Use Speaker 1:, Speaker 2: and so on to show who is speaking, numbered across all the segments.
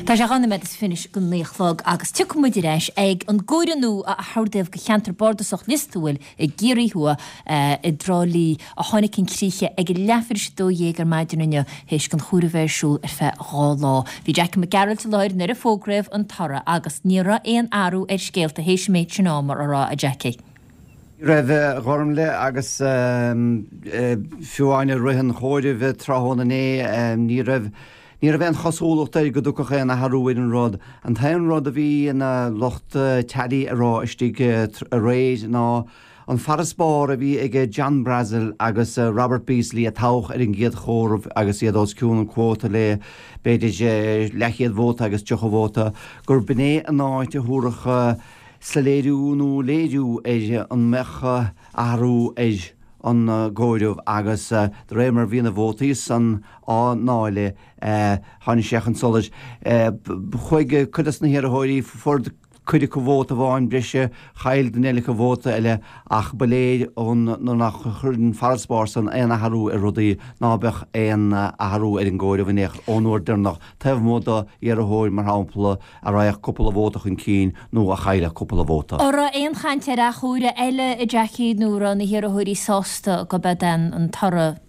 Speaker 1: Tá sé 2 noiméad is fiche go 9 a chlog agus tiocfaidh muid ar ais ag an gcomhaireamh nua a hordaíodh do cheantar bardasach Lios Tuathail i gCiarraí Thuaidh i dTrá Lí a tháinig chun críche ag leathuair tar éis 12 ar maidin inniu théis don chomhaireamh a bheith ar siúl ar feadh 2 lá. Bhí Jackie Mac Gearailt i láthair nuair a fógraíodh an toradh agus ní raibh aon athrú ar scéalta théis an méid sin ama, an raibh, a Jackie?
Speaker 2: Ní raibh, a Ghormlaith, agus fiú amháin i rith an chomhairimh tráthnóna inné ní raibh Ní raibh aon chosúlacht air go dtiocfadh aon athrú ar an rud. An t-aon rud a bhí na lucht tally a rá istigh aréir ná an farasbarr a bhí ag John Brassil agus Robert Beasley a toghadh ar an gcéad chomhaireamh agus iad os cionn an quota le b'fhéidir leathchéad vóta agus 30 vóta, gur b'in é an áit a thabharfadh soiléiriú nó léiriú ar an mbeadh athrú ar an gcomhaireamh agus de réir mar bhí na vótaí san á ndáileadh tháinig sé chun solais. Chuaigh cuid de na hiarrthóirí, fuair cuid acu vóta amháin breise, chaill duine eile acu vóta eile ach ba léir ón nuair nár chuir an farasbarr san aon athrú ar rudaí ná beadh aon athrú ar an gcomhaireamh in aon chor ón uair deireanach taobh amuigh d'iarrthóir mar shampla a raghadh cúpla vóta chun cinn nó a chaillfeadh cúpla vóta.
Speaker 1: An raibh aon chaint ar athchomhaireamh eile, a Jackie, nó an raibh na hiarrthóirí sásta go b'ead an toradh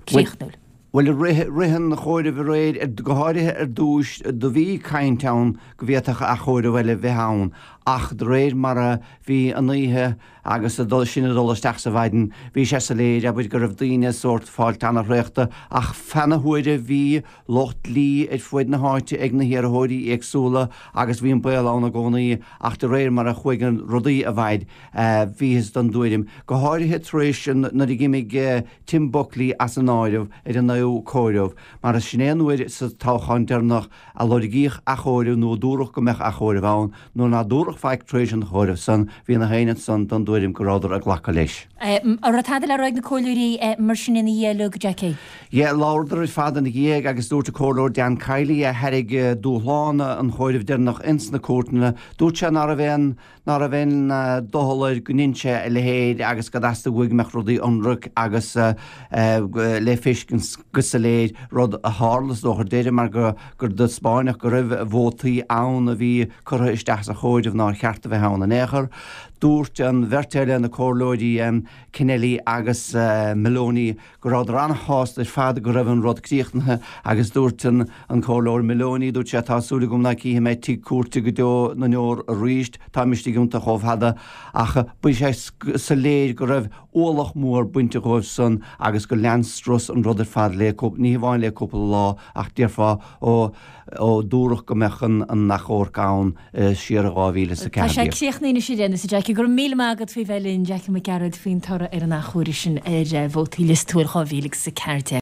Speaker 1: críochnúil?
Speaker 2: Bhuel, i rith an chomhairimh aréir, go háirithe ar dtúis, do bhí caint ann go bhféadfadh athchomhaireamh eile bheith ann ach de réir mar a bhí an oíche agus sinn ag dul isteach sa mhaidin, bhí sé soiléir, abair, go raibh daoine sórt fáilt an-thraochta ach feadh na huaire bhí lucht dlí ar fuaid na háite ag na hiarrthóirí éagsúla agus bhí an baol ann i gcónaí ach de réir mar a chuaigh an rudaí i bhfaid bhíothas den dtuairim, go háirithe tar éis nuair a d'imigh Tim Buckley as an áireamh ar an naoú comhaireamh, mar sin é an uair sa toghchán deireanach a lorgaíodh athchomhaireamh nó a dúradh go mbeadh athchomhaireamh ann, nuair ná dúradh faic tar éis an chomhairimh san, bhí na héinne ansan den dtuairim go rabhadar ag glacadh leis.
Speaker 1: An raibh tada le rá ag na comhairleoirí mar sin ina dhiaidh uilig, Jackie?
Speaker 2: Yeah, labhradar ar fad ina dhiaidh agus dúirt an Comhairleoir Dan Kiely a thairg dúshlán an chomhairimh deireanach ins na cúirteanna, dúirt sé ná raibh aon ná raibh aon doicheall air go ndein sé a leithéid agus go dteastaigh uaidh go mbeadh rudaí ionraic agus le feiscint go soiléir, rud a tharla is dócha ar deireadh mar gur taispeáineadh go raibh vótaí ann a bhí curtha isteach sa chomhaireamh nár cheart a bheith ann in aon chor. Dúirt an bheirt eile, na comhairleoirí Kennelly agus Moloney, go rabhadar an-shásta ar fad go raibh an rud críochnaithe agus dúirt an Comhairleoir Moloney, dúirt sé, tá súil agam ná cífidh mé tigh cúirte go deo na ndeor arís, táim istigh iontu chomh fada ach bhí sé soiléir go raibh ualach mór bainte dhóibh san agus gur lean strus an rud ar fad le, ní hamháin le cúpla lá ach déarfá ó ó dúradh go mbeadh an achomharc ann siar i 2014.
Speaker 1: Tá sé críochnaithe anois ar aon nós, a Jackie. Go raibh míle maith agat faoi bheith linn, Jackie Mac Gearailt, faoin toradh ar an achomharc sin ar vótaí Lios Tuathail 2014.